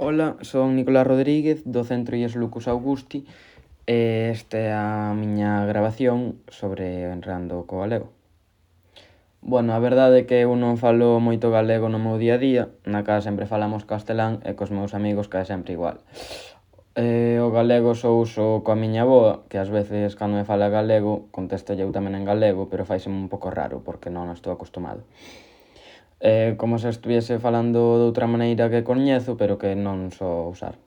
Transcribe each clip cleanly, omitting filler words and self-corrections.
Ola, son Nicolás Rodríguez do Centro IES Lucus Augusti e esta é a miña gravación sobre Enredando co Galego. Bueno, a verdade é que eu non falo moito galego no meu día a día, na casa sempre falamos castelán e cos meus amigos que é sempre igual. O galego só uso coa miña avoa, que ás veces cando me fala galego contesto eu tamén en galego, pero faiseme un pouco raro porque non estou acostumado. Como se estuviese falando doutra maneira que coñezo, pero que non só usar.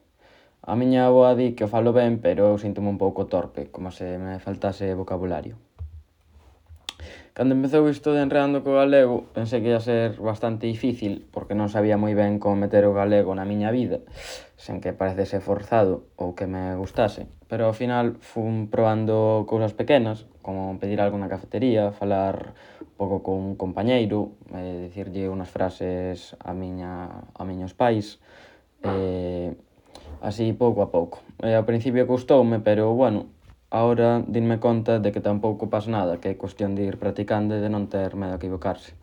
A miña avoa di que o falo ben, pero eu síntome un pouco torpe, como se me faltase vocabulario. Cando empezou isto de Enredando co Galego, pensei que ia ser bastante difícil, porque non sabía moi ben como meter o galego na miña vida, sen que parecese forzado ou que me gustase. Pero ao final fun probando cousas pequenas, como pedir algo na cafetería, falar un pouco con un compañeiro, dicirlle unhas frases a miños pais, así pouco a pouco. Ao principio custoume, pero bueno, ahora dinme conta de que tampouco pasa nada, que é cuestión de ir practicando e de non ter medo a equivocarse.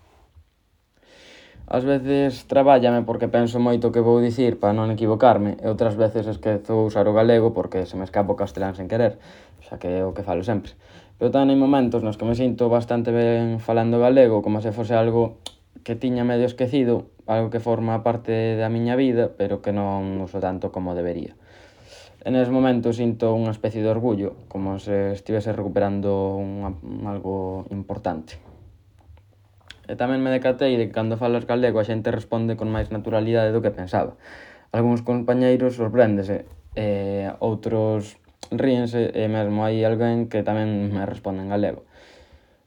Ás veces trabállame porque penso moito o que vou dicir para non equivocarme e outras veces esquezo usar o galego porque se me escapa o castelán sen querer, xa que é o que falo sempre. Pero tamén hai momentos nos que me sinto bastante ben falando galego, como se fose algo que tiña medio esquecido, algo que forma parte da miña vida, pero que non uso tanto como debería. En eses momentos sinto unha especie de orgullo, como se estivese recuperando algo importante. E tamén me decatei de que cando falas galego a xente responde con máis naturalidade do que pensaba. Algúns compañeiros sorpréndese, outros ríense e mesmo hai alguén que tamén me responde en galego.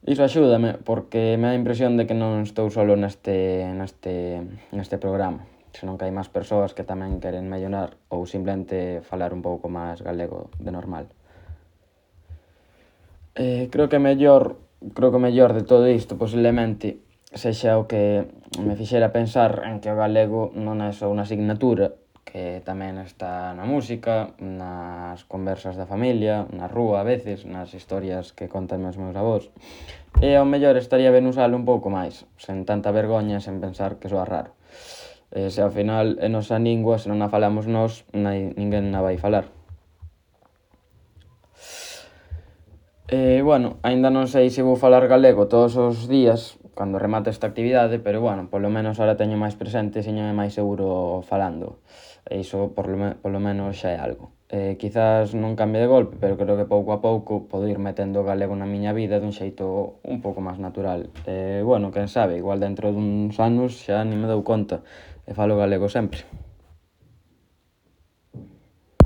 Iso axúdame porque me dá a impresión de que non estou solo neste programa, senón que hai máis persoas que tamén queren mellorar ou simplemente falar un pouco máis galego de normal. Creo que o mellor de todo isto posiblemente sexa o que me fixera pensar en que o galego non é só unha asignatura, que tamén está na música, nas conversas da familia, na rúa a veces, nas historias que contan os meus avós. E ao mellor estaría ben usalo un pouco máis, sen tanta vergoña, sen pensar que soa raro. Se ao final é nosa lingua, se non a falamos nós, ninguén na vai falar. Bueno, aínda non sei se vou falar galego todos os días cando remate esta actividade, pero bueno, polo menos ahora teño máis presente e séñome máis seguro falando. E iso polo menos xa é algo. Quizás non cambie de golpe, pero creo que pouco a pouco podo ir metendo o galego na miña vida dun xeito un pouco máis natural. Bueno, quen sabe, igual dentro duns anos xa nin me dou conta e falo galego sempre.